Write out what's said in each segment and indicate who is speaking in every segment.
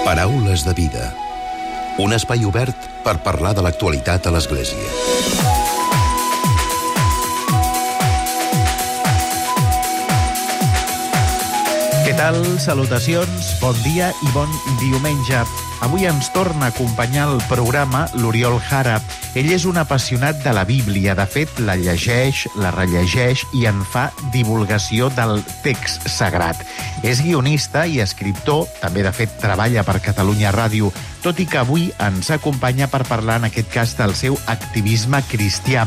Speaker 1: Paraules de vida. Un espai obert per parlar de l'actualitat a l'Església.
Speaker 2: Què tal? Salutacions, bon dia i bon diumenge. Avui ens torna a acompanyar el programa l'Oriol Jara. Ell és un apassionat de la Bíblia. De fet, la llegeix, la rellegeix i en fa divulgació del text sagrat. És guionista i escriptor, també de fet treballa per Catalunya Ràdio, tot i que avui ens acompanya per parlar en aquest cas del seu activisme cristià.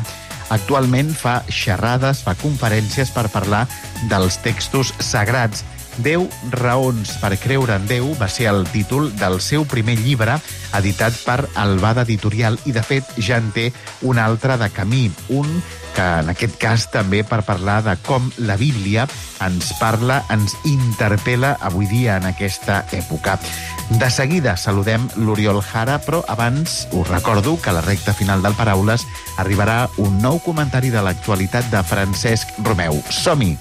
Speaker 2: Actualment fa xerrades, fa conferències per parlar dels textos sagrats. 10 raons per creure en Déu va ser el títol del seu primer llibre, editat per Albada Editorial, i de fet ja en té un altre de camí, un que en aquest cas també per parlar de com la Bíblia ens parla, ens interpel·la avui dia en aquesta època. De seguida saludem l'Oriol Jara, però abans us recordo que a la recta final del Paraules arribarà un nou comentari de l'actualitat de Francesc Romeu. Som-hi!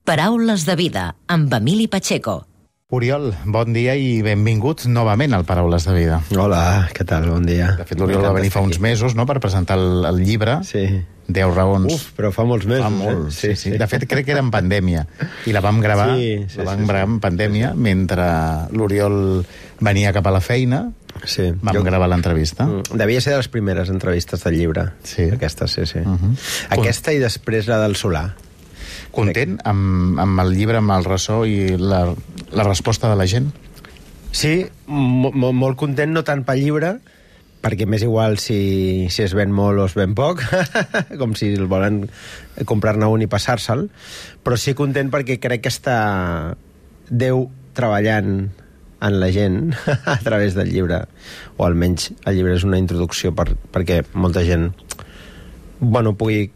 Speaker 3: Paraules de vida, amb Emili Pacheco.
Speaker 2: Oriol, bon dia i benvinguts novament al Paraules de vida.
Speaker 4: Hola, què tal? Bon dia.
Speaker 2: De fet, l'Oriol va venir fa uns mesos, no?, per presentar el llibre.
Speaker 4: Sí.
Speaker 2: 10 raons.
Speaker 4: Uf, però fa molts mesos.
Speaker 2: Fa molt, sí. De fet, crec que era en pandèmia. I la vam gravar, gravar en pandèmia, mentre l'Oriol venia cap a la feina.
Speaker 4: Sí.
Speaker 2: Vam gravar l'entrevista.
Speaker 4: Devia ser de les primeres entrevistes del llibre.
Speaker 2: Sí.
Speaker 4: Aquesta, sí. Aquesta i després la del Solà.
Speaker 2: Content amb el llibre, amb el ressò i la resposta de la gent?
Speaker 4: Sí, molt content, no tant pel llibre, perquè m'és igual si es ven molt o es ven poc, com si el volen comprar-ne un i passar-se'l, però sí content perquè crec que està Déu treballant en la gent a través del llibre, o almenys el llibre és una introducció perquè molta gent pugui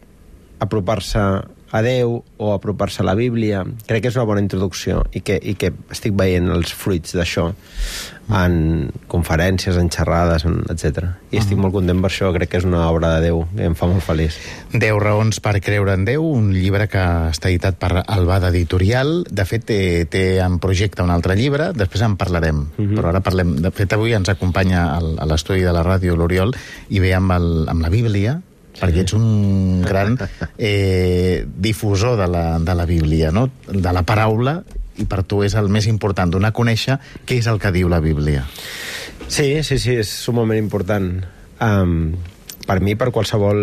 Speaker 4: apropar-se a Déu o apropar-se a la Bíblia. Crec que és una bona introducció i que estic veient els fruits d'això en conferències, en xerrades, etc. I estic molt content per això, crec que és una obra de Déu que em fa molt feliç.
Speaker 2: 10 raons per creure en Déu, un llibre que està editat per Albada Editorial. De fet, té en projecte un altre llibre, després en parlarem. Però ara parlem. De fet, avui ens acompanya a l'estudi de la ràdio l'Oriol i ve amb la Bíblia, perquè ets un gran difusor de la Bíblia, no?, de la paraula, i per tu és el més important, donar a conèixer què és el que diu la Bíblia.
Speaker 4: Sí, és sumament important. Per mi, per qualsevol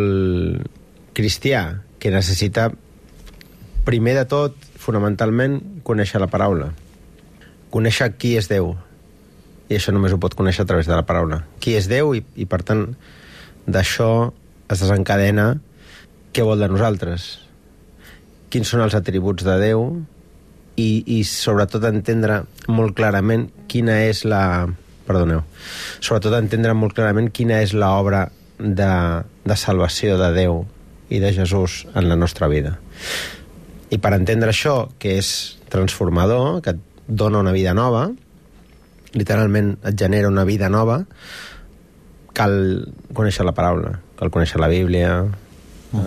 Speaker 4: cristià que necessita, primer de tot, fonamentalment, conèixer la paraula. Conèixer qui és Déu. I això només ho pot conèixer a través de la paraula. Qui és Déu i per tant, d'això es desencadena què vol de nosaltres, quins són els atributs de Déu i sobretot entendre molt clarament quina és l'obra de salvació de Déu i de Jesús en la nostra vida. I per entendre això, que és transformador, que et dona una vida nova, literalment et genera una vida nova, cal conèixer la paraula, cal conèixer la Bíblia,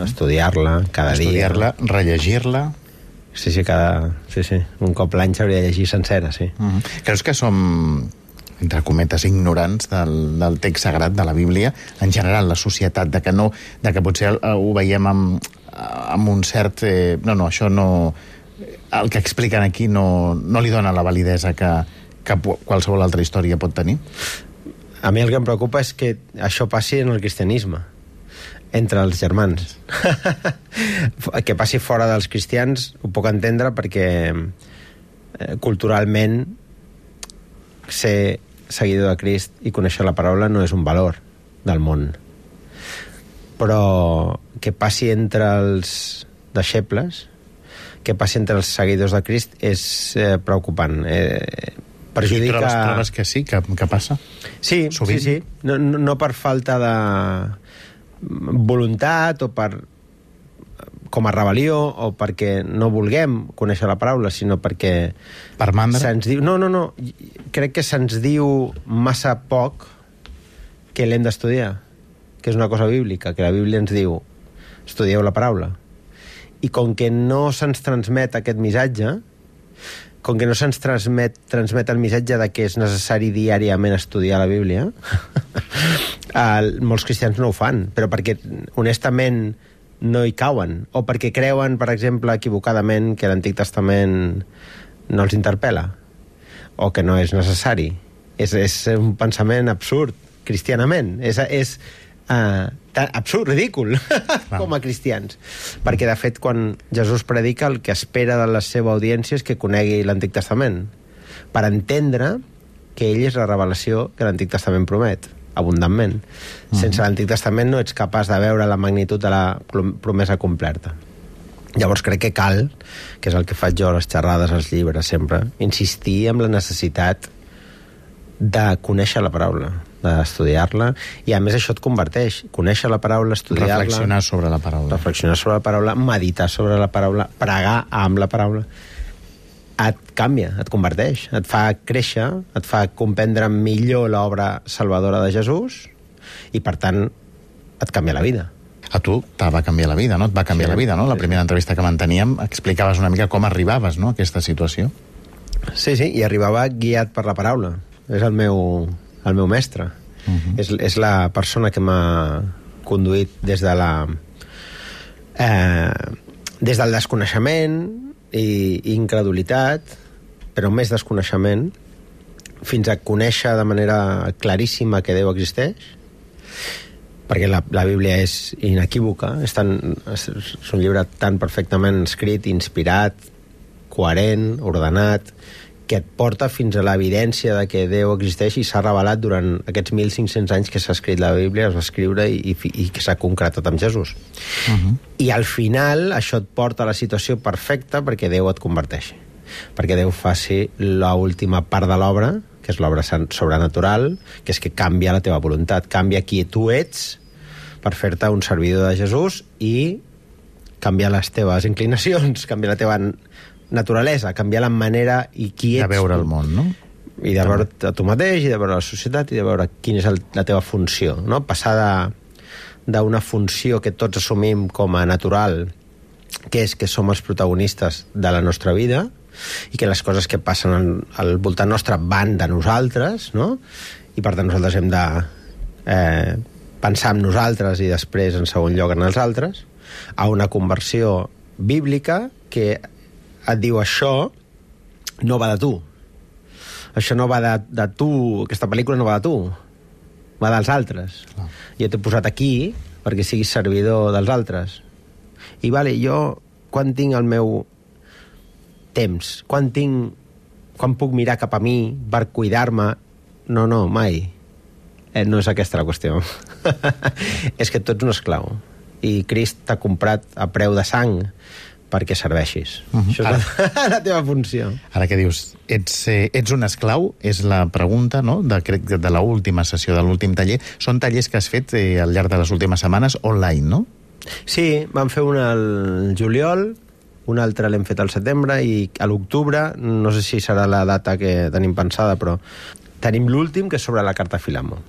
Speaker 4: estudiar-la cada dia.
Speaker 2: Estudiar-la, rellegir-la.
Speaker 4: Sí, un cop l'any s'hauria de llegir sencera, sí.
Speaker 2: Creus que som, entre cometes, ignorants del text sagrat de la Bíblia, en general, la societat, de que potser ho veiem amb un cert... això no... El que expliquen aquí no li dona la validesa que qualsevol altra història pot tenir?
Speaker 4: A mi el que em preocupa és que això passi en el cristianisme, entre els germans. Que passi fora dels cristians ho puc entendre perquè culturalment ser seguidor de Crist i conèixer la paraula no és un valor del món. Però que passi entre els deixebles, que passi entre els seguidors de Crist és preocupant. Perjudica...
Speaker 2: I trobes que sí, que passa?
Speaker 4: Sí, sovint. Sí. No per falta de voluntat o com a rebel·lió o perquè no vulguem conèixer la paraula, sinó perquè...
Speaker 2: Per mandra?
Speaker 4: Se'ns diu... No. Crec que se'ns diu massa poc que l'hem d'estudiar, que és una cosa bíblica, que la Bíblia ens diu estudieu la paraula. I com que no se'ns transmet aquest missatge, com que no se'ns transmet el missatge de que és necessari diàriament estudiar la Bíblia, molts cristians no ho fan, però perquè, honestament, no hi cauen, o perquè creuen, per exemple, equivocadament, que l'Antic Testament no els interpel·la, o que no és necessari. És un pensament absurd, cristianament. És absurd, ridícul, com a cristians. Perquè, de fet, quan Jesús predica, el que espera de la seva audiència és que conegui l'Antic Testament, per entendre que ell és la revelació que l'Antic Testament promet, abundantment. Sense l'Antic Testament no ets capaç de veure la magnitud de la promesa completa. Llavors crec que cal, que és el que faig jo a les xerrades, als llibres, sempre, insistir en la necessitat de conèixer la paraula, d'estudiar-la, i a més això et converteix. Conèixer la paraula, estudiar-la...
Speaker 2: Reflexionar sobre la paraula.
Speaker 4: Reflexionar sobre la paraula, meditar sobre la paraula, pregar amb la paraula. Et canvia, et converteix, et fa créixer, et fa comprendre millor l'obra salvadora de Jesús, i per tant et canvia la vida.
Speaker 2: A tu te va canviar la vida, no? Et va canviar la vida, no? La primera entrevista que manteníem explicaves una mica com arribaves, no?, a aquesta situació.
Speaker 4: Sí, i arribava guiat per la paraula. És el meu mestre. És la persona que m'ha conduït des de des del desconeixement i incredulitat, però més desconeixement, fins a conèixer de manera claríssima que Déu existeix, perquè la Bíblia és inequívoca, és un llibre tan perfectament escrit, inspirat, coherent, ordenat, que et porta fins a l'evidència de que Déu existeix i s'ha revelat durant aquests 1.500 anys que s'ha escrit la Bíblia, es va escriure i que s'ha concretat amb Jesús. I al final això et porta a la situació perfecta perquè Déu et converteixi, perquè Déu faci l'última part de l'obra, que és l'obra sobrenatural, que és que canvia la teva voluntat, canvia qui tu ets per fer-te un servidor de Jesús i canviar les teves inclinacions, canviar la teva naturalesa, canviar la manera i qui ets.
Speaker 2: De veure el món, no?
Speaker 4: I de veure a tu mateix, i de veure la societat, i de veure quina és la teva funció, no? Passar d'una funció que tots assumim com a natural, que és que som els protagonistes de la nostra vida, i que les coses que passen al voltant nostre van de nosaltres, no? I per tant nosaltres hem de pensar en nosaltres i després en segon lloc en els altres, a una conversió bíblica que et diu això no va de tu. Això no va de tu, aquesta pel·lícula no va de tu, va dels altres. Jo t'he posat aquí perquè siguis servidor dels altres. I vale, jo quan tinc el meu temps, quan puc mirar cap a mi per cuidar-me? No, mai. No és aquesta la qüestió. És que tu ets un esclau i Crist t'ha comprat a preu de sang perquè serveixis. Això és la teva funció.
Speaker 2: Ara que dius, ets un esclau, és la pregunta, no?, de l'última sessió, de l'últim taller. Són tallers que has fet al llarg de les últimes setmanes online, no?
Speaker 4: Sí, vam fer un al juliol, un altre l'hem fet al setembre, i a l'octubre, no sé si serà la data que tenim pensada, però tenim l'últim, que és sobre la carta a Filemó.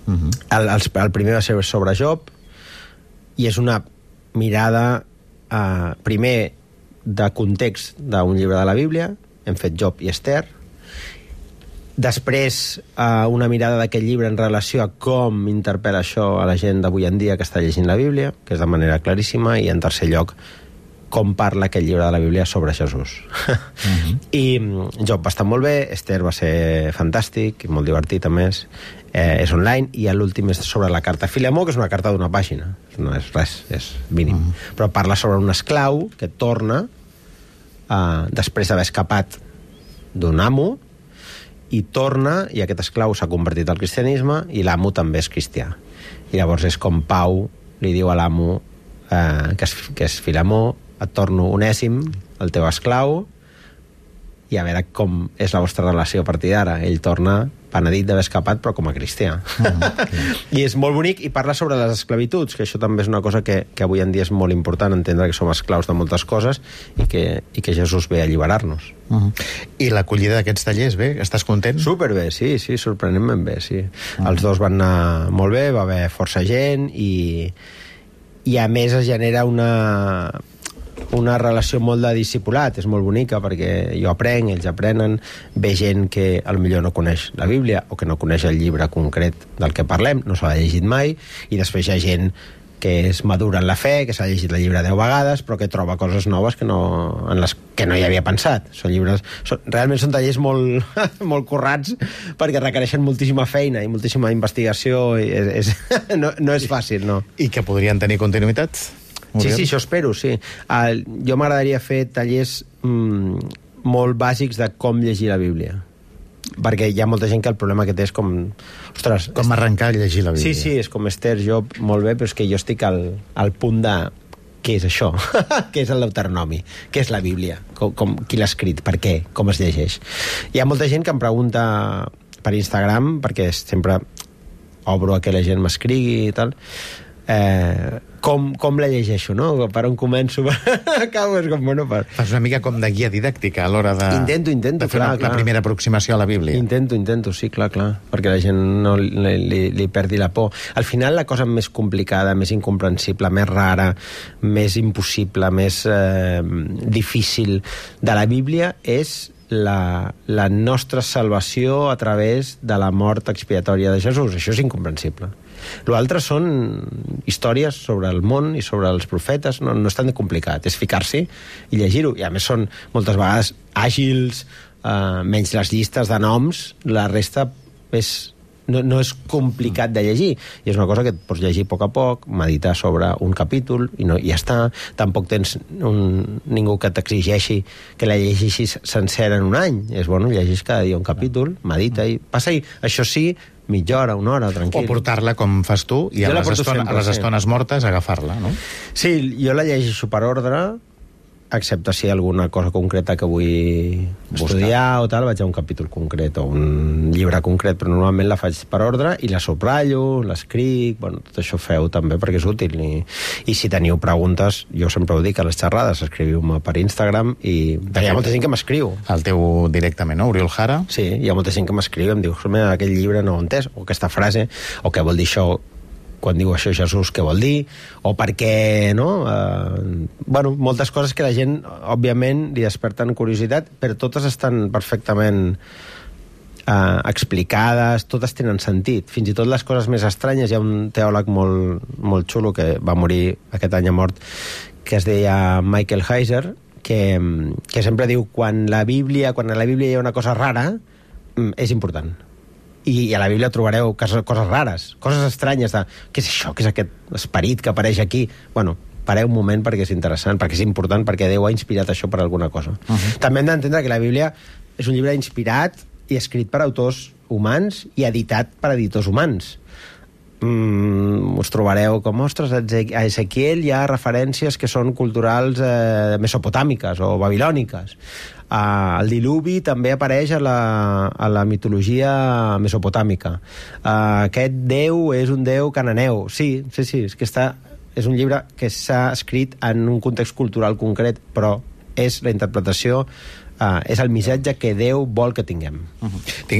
Speaker 4: El primer va ser sobre Job, i és una mirada primer de context d'un llibre de la Bíblia, hem fet Job i Esther, després una mirada d'aquest llibre en relació a com interpel·la això a la gent d'avui en dia que està llegint la Bíblia, que és de manera claríssima, i en tercer lloc com parla aquest llibre de la Bíblia sobre Jesús. I Job va estar molt bé, Esther va ser fantàstic i molt divertit, a més. És online, i l'últim és sobre la carta a Filemó, que és una carta d'una pàgina. No és res, és mínim. Però parla sobre un esclau que torna després d'haver escapat d'un amo, i torna, i aquest esclau s'ha convertit al cristianisme, i l'amo també és cristià. I llavors és com Pau li diu a l'amo que és Filemó, et torno onèsim, el teu esclau, i a veure com és la vostra relació a partir d'ara. Ell torna penedit d'haver escapat, però com a cristià. I és molt bonic, i parla sobre les esclavituds, que això també és una cosa que avui en dia és molt important, entendre que som esclaus de moltes coses i que Jesús ve a alliberar-nos.
Speaker 2: I l'acollida d'aquests tallers, bé? Estàs content?
Speaker 4: Superbé, sí, sorprenentment bé, sí. Els dos van anar molt bé, va haver força gent, i i a més es genera una relació molt de discipulat, és molt bonica perquè jo aprenc, ells aprenen, ve gent que potser no coneix la Bíblia o que no coneix el llibre concret del que parlem, no se l'ha llegit mai, i després hi ha gent que és madura en la fe, que s'ha llegit el llibre 10 vegades, però que troba coses noves en les que no hi havia pensat. Realment són tallers molt, molt currats, perquè requereixen moltíssima feina i moltíssima investigació, i no és fàcil, no.
Speaker 2: I que podrien tenir continuïtat?
Speaker 4: Sí, això espero, sí. Jo m'agradaria fer tallers molt bàsics de com llegir la Bíblia, perquè hi ha molta gent que el problema que té és com... Ostres,
Speaker 2: com arrencar a llegir la Bíblia.
Speaker 4: Sí, és com Esther, jo molt bé, però és que jo estic al punt de... Què és això? Què és el Deuteronomi? Què és la Bíblia? Qui l'ha escrit? Per què? Com es llegeix? Hi ha molta gent que em pregunta per Instagram, perquè sempre obro a que la gent m'escrigui i tal, com la llegeixo, no? Per on començo? Acabo, és com, bueno...
Speaker 2: Fas una mica com de guia didàctica a l'hora de...
Speaker 4: Intento,
Speaker 2: fer la primera aproximació a la Bíblia.
Speaker 4: Intento, sí, clar, perquè la gent no li perdi la por. Al final, la cosa més complicada, més incomprensible, més rara, més impossible, més difícil de la Bíblia és la nostra salvació a través de la mort expiatòria de Jesús. Això és incomprensible. L'altre són històries sobre el món i sobre els profetes, no és tan complicat, és ficar-s'hi i llegir-ho, i a més són moltes vegades àgils, menys les llistes de noms, la resta no és complicat de llegir, i és una cosa que et pots llegir a poc, meditar sobre un capítol i ja està. Tampoc tens ningú que t'exigeixi que la llegeixis sencera en un any. És bueno, llegeix cada dia un capítol, medita i passa-hi, això sí, mitja hora, una hora, tranquil.
Speaker 2: O portar-la com fas tu i a les estones mortes agafar-la, no?
Speaker 4: Sí, jo la llegeixo per ordre, excepte si hi ha alguna cosa concreta que vull estudiar o tal, vaig a un capítol concret o un llibre concret, però normalment la faig per ordre i la subratllo, l'escric, bueno, tot això feu també perquè és útil. I si teniu preguntes, jo sempre ho dic a les xerrades, escriviu-me per Instagram i hi ha molta gent que m'escriu.
Speaker 2: El teu directament, no? Oriol Jara?
Speaker 4: Sí, hi ha molta gent que m'escriu i em diu, aquell llibre no ho he entès, o aquesta frase, o què vol dir això quan diu això Jesús, què vol dir, o per què, no? Bueno, moltes coses que la gent, òbviament, li desperten curiositat, però totes estan perfectament explicades, totes tenen sentit. Fins i tot les coses més estranyes. Hi ha un teòleg molt xulo que va morir aquest any a mort, que es deia Michael Heiser, que sempre diu quan a la Bíblia hi ha una cosa rara, és important. I a la Bíblia trobareu coses rares, coses estranyes de què és això, què és aquest esperit que apareix aquí. Bueno, pareu un moment perquè és interessant, perquè és important, perquè Déu ha inspirat això per alguna cosa. També hem d'entendre que la Bíblia és un llibre inspirat i escrit per autors humans i editat per editors humans. Us trobareu com, ostres, a Ezequiel hi ha referències que són culturals mesopotàmiques o babilòniques. El diluvi també apareix a la mitologia mesopotàmica. Aquest déu és un déu cananeu. Sí, és que és un llibre que s'ha escrit en un context cultural concret, però és la interpretació, és el missatge que Déu vol que tinguem.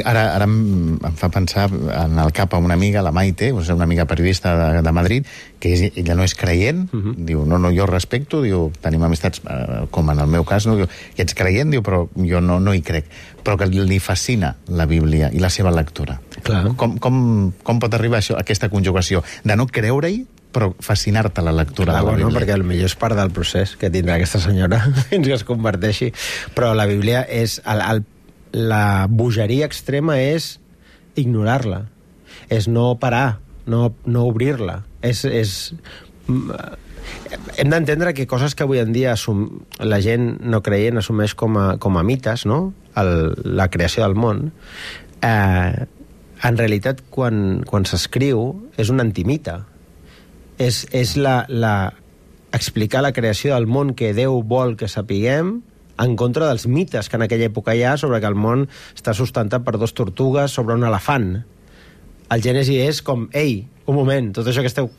Speaker 2: Ara em fa pensar en el cap a una amiga, la Maite, una amiga periodista de Madrid, que ella no és creient, diu, no, jo respecto, diu, tenim amistats, com en el meu cas, no, diu, i ets creient, diu, però jo no hi crec, però que li fascina la Bíblia i la seva lectura.
Speaker 4: Clar.
Speaker 2: Com pot arribar això, aquesta conjugació de no creure-hi, però fascinar-te la lectura de la Bíblia?
Speaker 4: Perquè potser és part del procés que tindrà aquesta senyora fins que es converteixi. Però la Bíblia és... La bogeria extrema és ignorar-la. És no parar, no obrir-la. Hem d'entendre que coses que avui en dia la gent no creient assumeix com a mites, no? La creació del món, en realitat, quan s'escriu, és un antimite. És explicar la creació del món que Déu vol que sapiguem en contra dels mites que en aquella època hi ha sobre que el món està sustentat per 2 tortugues sobre un elefant. El Gènesi és com, ei, un moment, tot això que esteu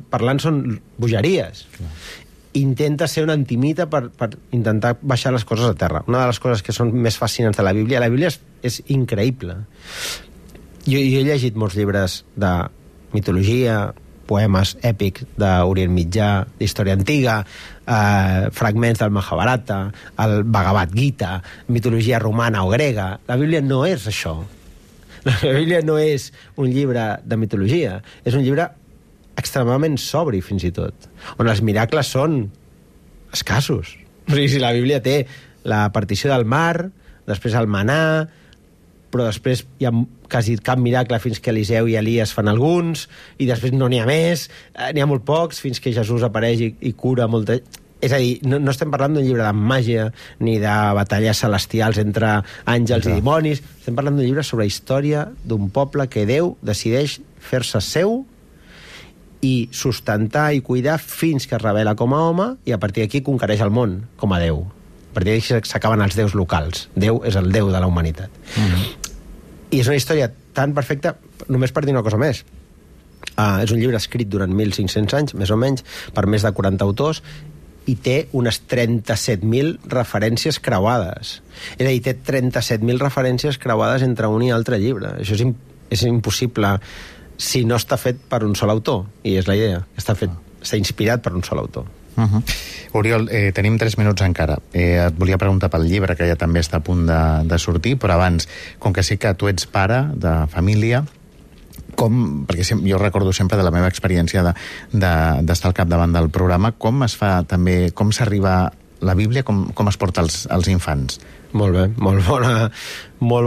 Speaker 4: parlant són bogeries. Intenta ser un antimite per intentar baixar les coses a terra. Una de les coses que són més fascinants de la Bíblia és increïble. Jo he llegit molts llibres de mitologia, poemes èpics d'Orient Mitjà, d'història antiga, fragments del Mahabharata, el Bhagavad Gita, mitologia romana o grega. La Bíblia no és això. La Bíblia no és un llibre de mitologia, és un llibre extremadament sobri, fins i tot, on els miracles són escassos. O sigui, si la Bíblia té la partició del mar, després el manà, però després hi ha quasi cap miracle fins que Eliseu i Elies fan alguns, i després no n'hi ha més, n'hi ha molt pocs, fins que Jesús apareix i cura molta... És a dir, no estem parlant d'un llibre de màgia ni de batalles celestials entre àngels i dimonis, estem parlant d'un llibre sobre història d'un poble que Déu decideix fer-se seu i sustentar i cuidar fins que es revela com a home, i a partir d'aquí conquereix el món com a Déu. A partir d'aquí s'acaben els déus locals. Déu és el Déu de la humanitat. I és una història tan perfecta, només per dir una cosa més. És un llibre escrit durant 1.500 anys, més o menys, per més de 40 autors, i té unes 37.000 referències creuades. És a dir, té 37.000 referències creuades entre un i altre llibre. Això és impossible si no està fet per un sol autor, i és la idea. Està inspirat per un sol autor.
Speaker 2: Oriol, tenim 3 minuts encara. Et volia preguntar pel llibre, que ja també està a punt de sortir, però abans, com que sí que tu ets pare de família, perquè jo recordo sempre de la meva experiència d'estar al capdavant del programa, com es fa també, com s'arriba a la Bíblia, com es porta als infants?
Speaker 4: Molt bé, molt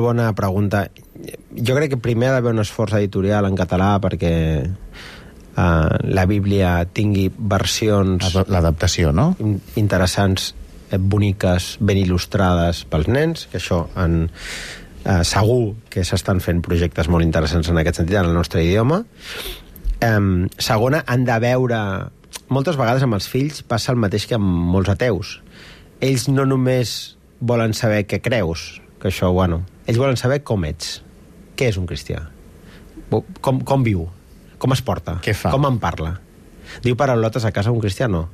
Speaker 4: bona pregunta. Jo crec que primer ha d'haver un esforç editorial en català perquè la Bíblia tingui versions...
Speaker 2: L'adaptació, no?
Speaker 4: Interessants, boniques, ben il·lustrades pels nens, que això segur que s'estan fent projectes molt interessants en aquest sentit en el nostre idioma. Segona, han de veure... Moltes vegades amb els fills passa el mateix que amb molts ateus. Ells no només volen saber què creus, que això, bueno, ells volen saber com ets. Què és un cristià? Com viu? Com es porta?
Speaker 2: Què fa?
Speaker 4: Com en parla? Diu paraulotes a casa un cristiano?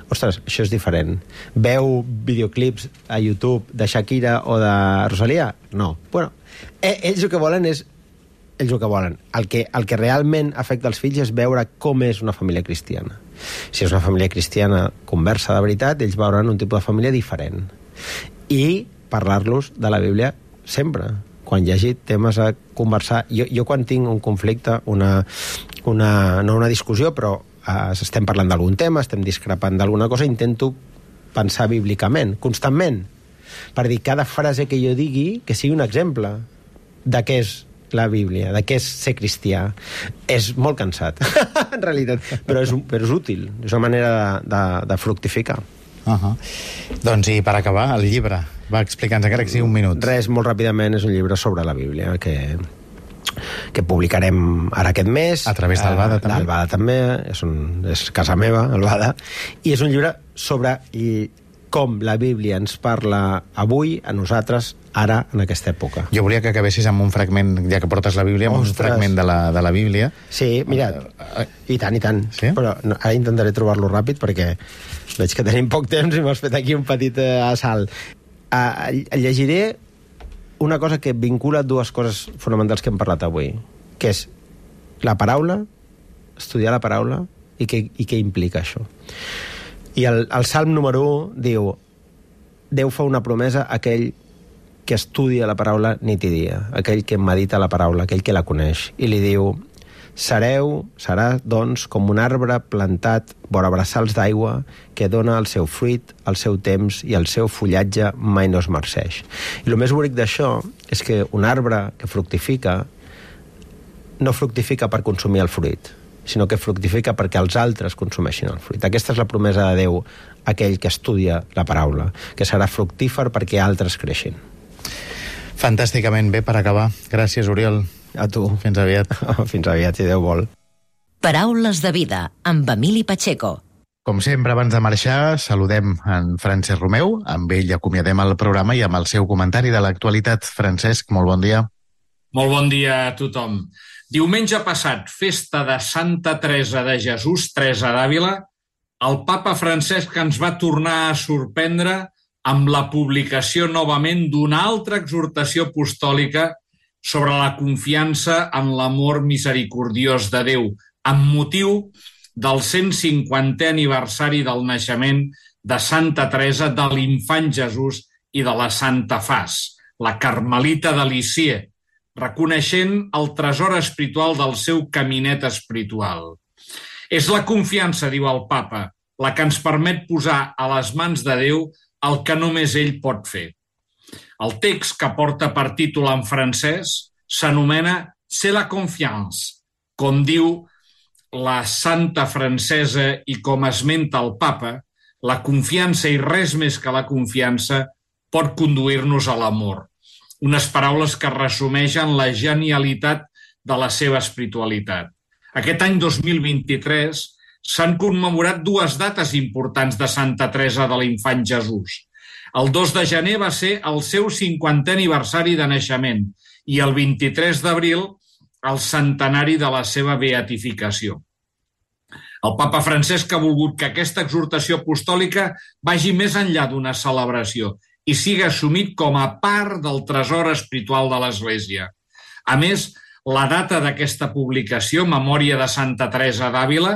Speaker 4: Ostres, això és diferent. Veu videoclips a YouTube de Shakira o de Rosalía? No. Bueno, ells el que volen és... Ells el que volen. El que realment afecta els fills és veure com és una família cristiana. Si és una família cristiana conversa de veritat, ells veuran un tipus de família diferent. I parlar-los de la Bíblia sempre. Quan hi hagi temes a conversar... Jo quan tinc un conflicte, no una discussió, però estem parlant d'algun tema, estem discrepant d'alguna cosa, intento pensar bíblicament, constantment, per dir cada frase que jo digui que sigui un exemple de què és la Bíblia, de què és ser cristià. És molt cansat, en realitat, però és útil, és una manera de fructificar.
Speaker 2: Doncs i per acabar, el llibre. Va, explica'ns, encara que sigui un minut.
Speaker 4: Res, molt ràpidament, és un llibre sobre la Bíblia que publicarem ara aquest mes.
Speaker 2: A través d'Albada, també?
Speaker 4: D'Albada també, és casa meva, Albada. I és un llibre sobre com la Bíblia ens parla avui, a nosaltres, ara, en aquesta època.
Speaker 2: Jo volia que acabessis amb un fragment, ja que portes la Bíblia, amb un fragment de la Bíblia.
Speaker 4: Sí, mira, i tant. Sí? Però ara intentaré trobar-lo ràpid, perquè veig que tenim poc temps i m'has fet aquí un petit assalt. Llegiré una cosa que vincula dues coses fonamentals que hem parlat avui, que és la paraula, estudiar la paraula, i què implica això. I el Salm número 1 diu: Déu fa una promesa a aquell que estudia la paraula nit i dia, aquell que medita la paraula, aquell que la coneix, i li diu: serà, doncs, com un arbre plantat vora braçals d'aigua que dona el seu fruit, el seu temps i el seu fullatge mai no es marceix. I el més bonic d'això és que un arbre que fructifica no fructifica per consumir el fruit, sinó que fructifica perquè els altres consumeixin el fruit. Aquesta és la promesa de Déu a aquell que estudia la paraula, que serà fructífer perquè altres creixin.
Speaker 2: Fantàsticament bé per acabar. Gràcies, Oriol.
Speaker 4: A tu.
Speaker 2: Fins aviat.
Speaker 4: Fins aviat, si Déu vol.
Speaker 3: Paraules de vida, amb Emili Pacheco.
Speaker 2: Com sempre, abans de marxar, saludem en Francesc Romeu. Amb ell acomiadem el programa i amb el seu comentari de l'actualitat. Francesc, molt bon dia.
Speaker 5: Molt bon dia a tothom. Diumenge passat, festa de Santa Teresa de Jesús, Teresa d'Àvila, el papa Francesc ens va tornar a sorprendre amb la publicació novament d'una altra exhortació apostòlica sobre la confiança en l'amor misericordiós de Déu, amb motiu del 150è aniversari del naixement de Santa Teresa, de l'Infant Jesús i de la Santa Faç, la Carmelita de Lisieux, reconeixent el tresor espiritual del seu caminet espiritual. És la confiança, diu el papa, la que ens permet posar a les mans de Déu el que només ell pot fer. El text, que porta per títol en francès, s'anomena C'est la confiance, com diu la santa francesa i com esmenta el papa, la confiança i res més que la confiança pot conduir-nos a l'amor. Unes paraules que resumeixen la genialitat de la seva espiritualitat. Aquest any 2023 s'han commemorat dues dates importants de Santa Teresa de l'Infant Jesús. El 2 de gener va ser el seu 50è aniversari de naixement i el 23 d'abril el centenari de la seva beatificació. El papa Francesc ha volgut que aquesta exhortació apostòlica vagi més enllà d'una celebració i sigui assumit com a part del tresor espiritual de l'Església. A més, la data d'aquesta publicació, Memòria de Santa Teresa d'Àvila,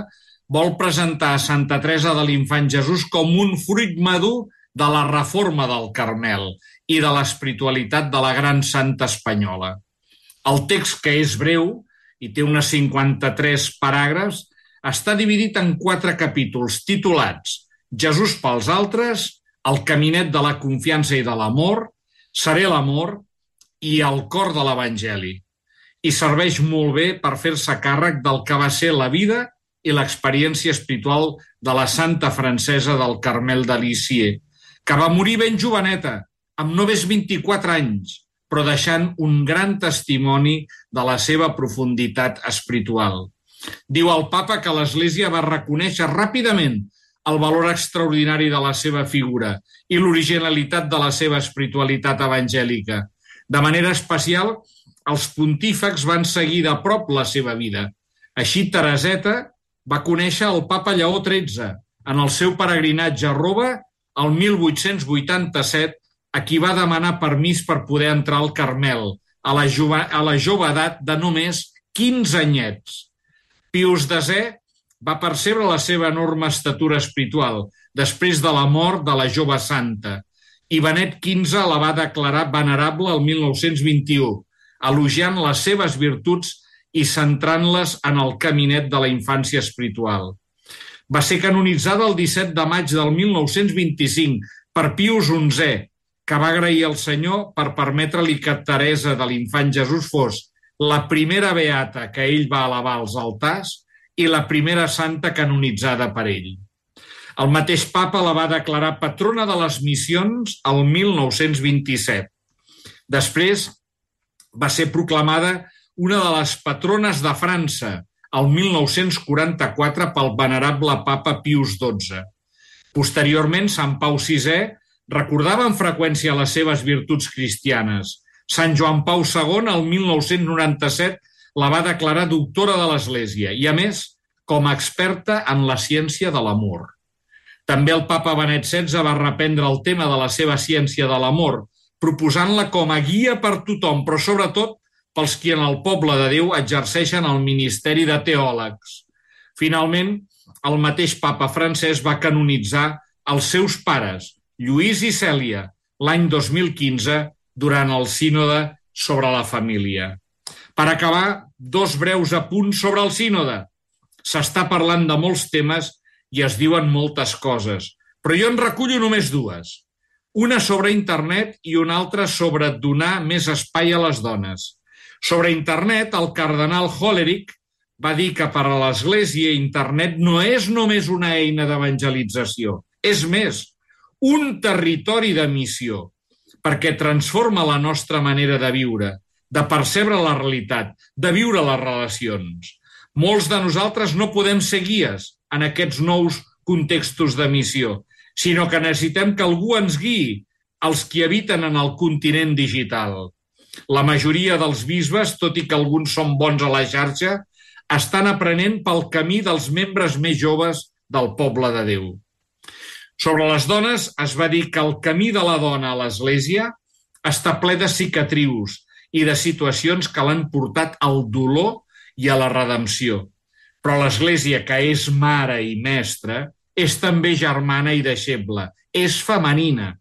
Speaker 5: vol presentar a Santa Teresa de l'Infant Jesús com un fruit madur de la reforma del Carmel i de l'espiritualitat de la gran santa espanyola. El text, que és breu i té unes 53 paràgrafs, està dividit en 4 capítols titulats Jesús pels altres, el caminet de la confiança i de l'amor, Seré l'amor i el cor de l'Evangeli. I serveix molt bé per fer-se càrrec del que va ser la vida i l'experiència espiritual de la santa francesa del Carmel de Lisieux, que va morir ben joveneta, amb només 24 anys, però deixant un gran testimoni de la seva profunditat espiritual. Diu el papa que l'Església va reconèixer ràpidament el valor extraordinari de la seva figura i l'originalitat de la seva espiritualitat evangèlica. De manera especial, els pontífex van seguir de prop la seva vida. Així, Tereseta va conèixer el papa Lleó XIII en el seu peregrinatge a Roma el 1887, a qui va demanar permís per poder entrar al Carmel, a la jove edat de només 15 anyets. Pius X va percebre la seva enorme estatura espiritual després de la mort de la jove santa i Benet XV la va declarar venerable el 1921, elogiant les seves virtuts i centrant-les en el caminet de la infància espiritual. Va ser canonitzada el 17 de maig del 1925 per Pius XI, que va agrair al Senyor per permetre-li que Teresa de l'Infant Jesús fos la primera beata que ell va elevar als altars i la primera santa canonitzada per ell. El mateix papa la va declarar patrona de les missions el 1927. Després va ser proclamada una de les patrones de França el 1944 pel venerable papa Pius XII. Posteriorment, Sant Pau VI recordava amb freqüència les seves virtuts cristianes. Sant Joan Pau II, el 1997, la va declarar doctora de l'Església i, a més, com a experta en la ciència de l'amor. També el papa Benet XVI va reprendre el tema de la seva ciència de l'amor, proposant-la com a guia per tothom, però sobretot pels qui en el poble de Déu exerceixen el ministeri de teòlegs. Finalment, el mateix papa francès va canonitzar els seus pares, Lluís i Cèlia, l'any 2015, durant el sínode sobre la família. Per acabar, 2 breus apunts sobre el sínode. S'està parlant de molts temes i es diuen moltes coses, però jo en recullo només 2. Una sobre internet i una altra sobre donar més espai a les dones. Sobre internet, el cardenal Hollerich va dir que per a l'Església internet no és només una eina d'evangelització, és més, un territori de missió, perquè transforma la nostra manera de viure, de percebre la realitat, de viure les relacions. Molts de nosaltres no podem ser guies en aquests nous contextos de missió, sinó que necessitem que algú ens guiï, els qui habiten en el continent digital. La majoria dels bisbes, tot i que alguns són bons a la xarxa, estan aprenent pel camí dels membres més joves del poble de Déu. Sobre les dones es va dir que el camí de la dona a l'Església està ple de cicatrius i de situacions que l'han portat al dolor i a la redempció. Però l'Església, que és mare i mestra, és també germana i deixeble, és femenina.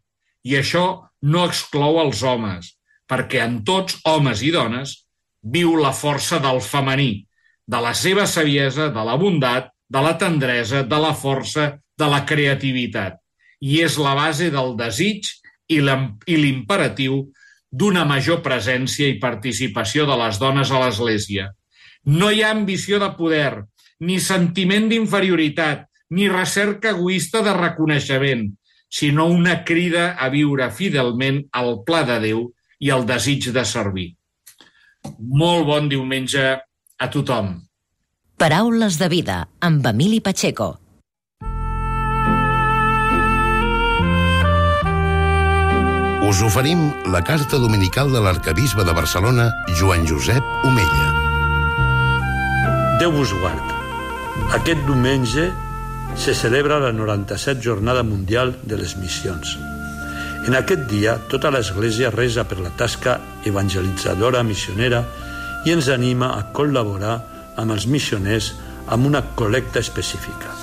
Speaker 5: I això no exclou els homes, perquè en tots, homes i dones, viu la força del femení, de la seva saviesa, de la bondat, de la tendresa, de la força, de la creativitat. I és la base del desig i l'imperatiu d'una major presència i participació de les dones a l'Església. No hi ha ambició de poder, ni sentiment d'inferioritat, ni recerca egoista de reconeixement, sinó una crida a viure fidelment al pla de Déu i el desig de servir. Molt bon diumenge a tothom.
Speaker 3: Paraules de vida, amb Emili Pacheco.
Speaker 1: Us oferim la carta dominical de l'arquebisbe de Barcelona, Joan Josep Omella.
Speaker 6: Déu vos guard. Aquest diumenge se celebra la 97 Jornada Mundial de les Missions. En aquest dia, tota l'Església resa per la tasca evangelitzadora missionera i ens anima a col·laborar amb els missioners amb una col·lecta específica.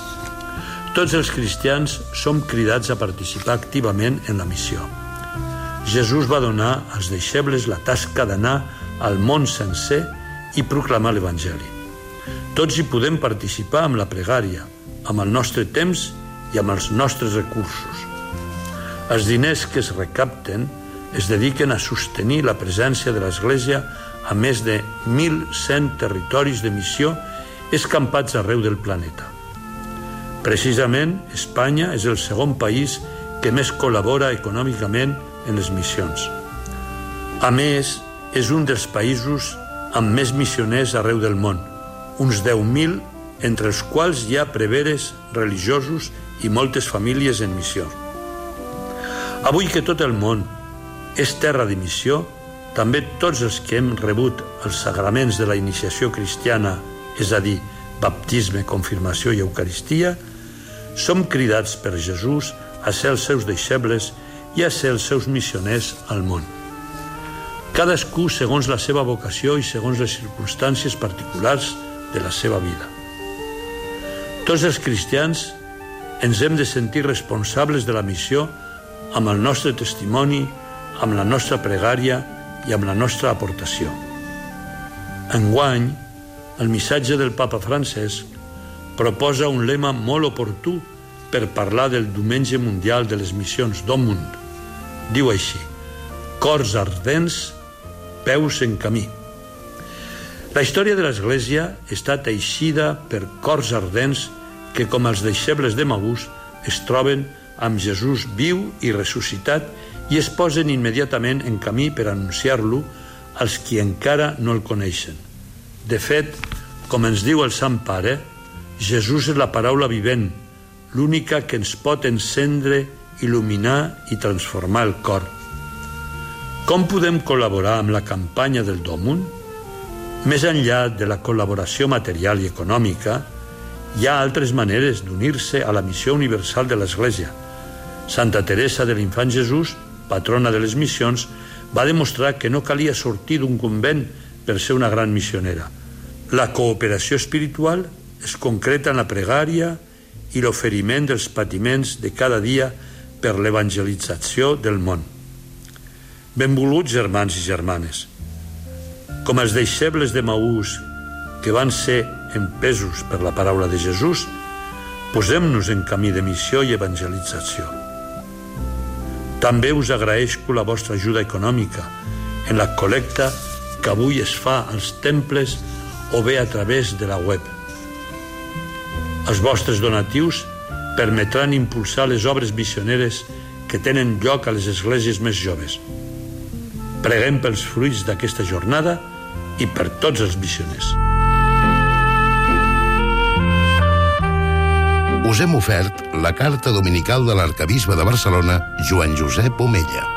Speaker 6: Tots els cristians som cridats a participar activament en la missió. Jesús va donar als deixebles la tasca d'anar al món sencer i proclamar l'Evangeli. Tots hi podem participar amb la pregària, amb el nostre temps i amb els nostres recursos. Els diners que es recapten es dediquen a sostenir la presència de l'Església a més de 1.100 territoris de missió escampats arreu del planeta. Precisament, Espanya és el segon país que més col·labora econòmicament en les missions. A més, és un dels països amb més missioners arreu del món, uns 10.000, entre els quals hi ha preveres religiosos i moltes famílies en missió. Avui que tot el món és terra de missió, també tots els que hem rebut els sagraments de la iniciació cristiana, és a dir, baptisme, confirmació i eucaristia, som cridats per Jesús a ser els seus deixebles i a ser els seus missioners al món. Cadascú segons la seva vocació i segons les circumstàncies particulars de la seva vida. Tots els cristians ens hem de sentir responsables de la missió amb el nostre testimoni, amb la nostra pregària i amb la nostra aportació. Enguany, el missatge del papa Francesc proposa un lema molt oportú per parlar del Diumenge Mundial de les Missions d'Òmund. Diu així: cors ardents, peus en camí. La història de l'Església està teixida per cors ardents que, com els deixebles de Maús, es troben amb Jesús viu i ressuscitat i es posen immediatament en camí per anunciar-lo als qui encara no el coneixen. De fet, com ens diu el Sant Pare, Jesús és la paraula vivent, l'única que ens pot encendre, il·luminar i transformar el cor. Com podem col·laborar amb la campanya del Dòmund? Més enllà de la col·laboració material i econòmica, hi ha altres maneres d'unir-se a la missió universal de l'Església. Santa Teresa de l'Infant Jesús, patrona de les missions, va demostrar que no calia sortir d'un convent per ser una gran missionera. La cooperació espiritual es concreta en la pregària i l'oferiment dels patiments de cada dia per l'evangelització del món. Benvoluts germans i germanes, com els deixebles de Maús que van ser empesos per la paraula de Jesús, posem-nos en camí de missió i evangelització. També us agraeixo la vostra ajuda econòmica en la col·lecta que avui es fa als temples o bé a través de la web. Els vostres donatius permetran impulsar les obres missioneres que tenen lloc a les esglésies més joves. Preguem pels fruits d'aquesta jornada i per tots els missioners.
Speaker 1: Us hem ofert la carta dominical de l'arquebisbe de Barcelona, Joan Josep Omella.